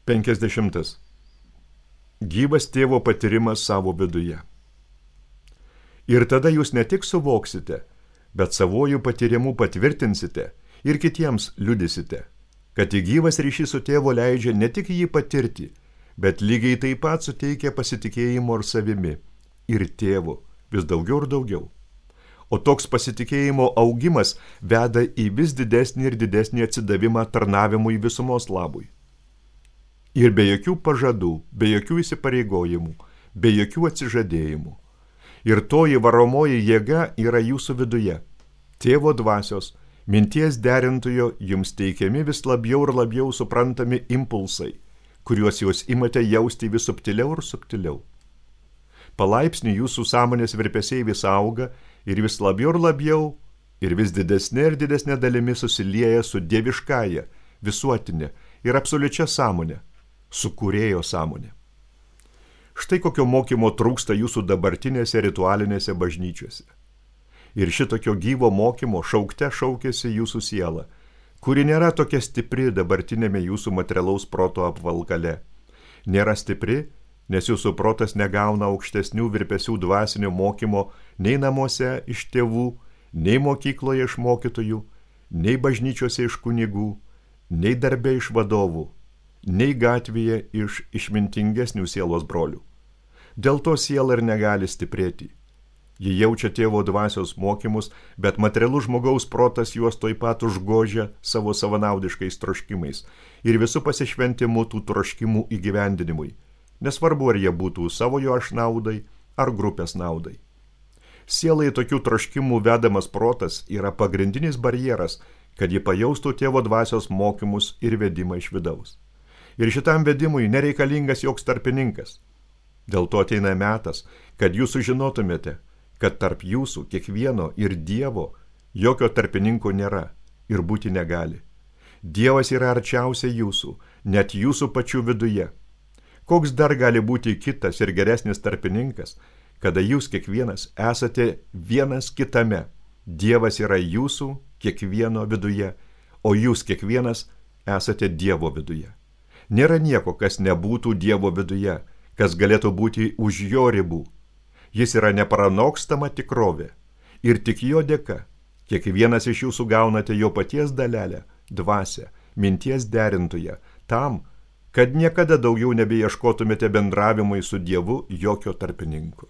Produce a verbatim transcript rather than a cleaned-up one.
Penkiasdešimtas. Gyvas tėvo patyrimas savo viduje. Ir tada jūs ne tik suvoksite, bet savojų patyrimu patvirtinsite ir kitiems liudysite, kad į gyvas ryšys su tėvu leidžia ne tik jį patirti, bet lygiai taip pat suteikia pasitikėjimo ir savimi, ir tėvu vis daugiau ir daugiau. O toks pasitikėjimo augimas veda į vis didesnį ir didesnį atsidavimą tarnavimui visumos labui. Ir be jokių pažadų, be jokių įsipareigojimų, be jokių atsižadėjimų. Ir toji varomoji jėga yra jūsų viduje. Tėvo dvasios, minties derintojo jums teikiami vis labiau ir labiau suprantami impulsai, kuriuos jūs imate jausti vis subtiliau ir subtiliau. Palaipsniui jūsų sąmonės virpesiai vis auga ir vis labiau ir labiau ir vis didesnė ir didesnė dalimi susilieja su dieviškąja, visuotinė ir absoliučia sąmonė, su kūrėjo sąmonė. Štai kokio mokymo trūksta jūsų dabartinėse ritualinėse bažnyčiose. Ir šitokio gyvo mokymo šaukte šaukėsi jūsų siela, kuri nėra tokia stipri dabartinėme jūsų materialaus proto apvalkale. Nėra stipri, nes jūsų protas negauna aukštesnių virpesių dvasinio mokymo nei namuose iš tėvų, nei mokykloje iš mokytojų, nei bažnyčiose iš kunigų, nei darbe iš vadovų, nei gatvėje iš išmintingesnių sielos brolių. Dėl to siela ir negali stiprėti. Ji jaučia tėvo dvasios mokymus, bet materialus žmogaus protas juos toj pat užgožia savo savanaudiškais troškimais ir visų pasišventimų tų troškimų įgyvendinimui, nesvarbu ar jie būtų savojo aš naudai ar grupės naudai. Sielai tokių troškimų vedamas protas yra pagrindinis barjeras, kad ji pajaustų tėvo dvasios mokymus ir vedimą iš vidaus. Ir šitam vedimui nereikalingas joks tarpininkas. Dėl to ateina metas, kad jūs sužinotumėte, kad tarp jūsų kiekvieno ir Dievo jokio tarpininko nėra ir būti negali. Dievas yra arčiausiai jūsų, net jūsų pačių viduje. Koks dar gali būti kitas ir geresnis tarpininkas, kada jūs kiekvienas esate vienas kitame. Dievas yra jūsų kiekvieno viduje, o jūs kiekvienas esate Dievo viduje. Nėra nieko, kas nebūtų Dievo viduje, kas galėtų būti už jo ribų. Jis yra neparanokstama tikrovė. Ir tik jo dėka, kiekvienas iš jūsų gaunate jo paties dalelę, dvasią, minties derintoje, tam, kad niekada daugiau nebeieškotumėte bendravimui su Dievu jokio tarpininko.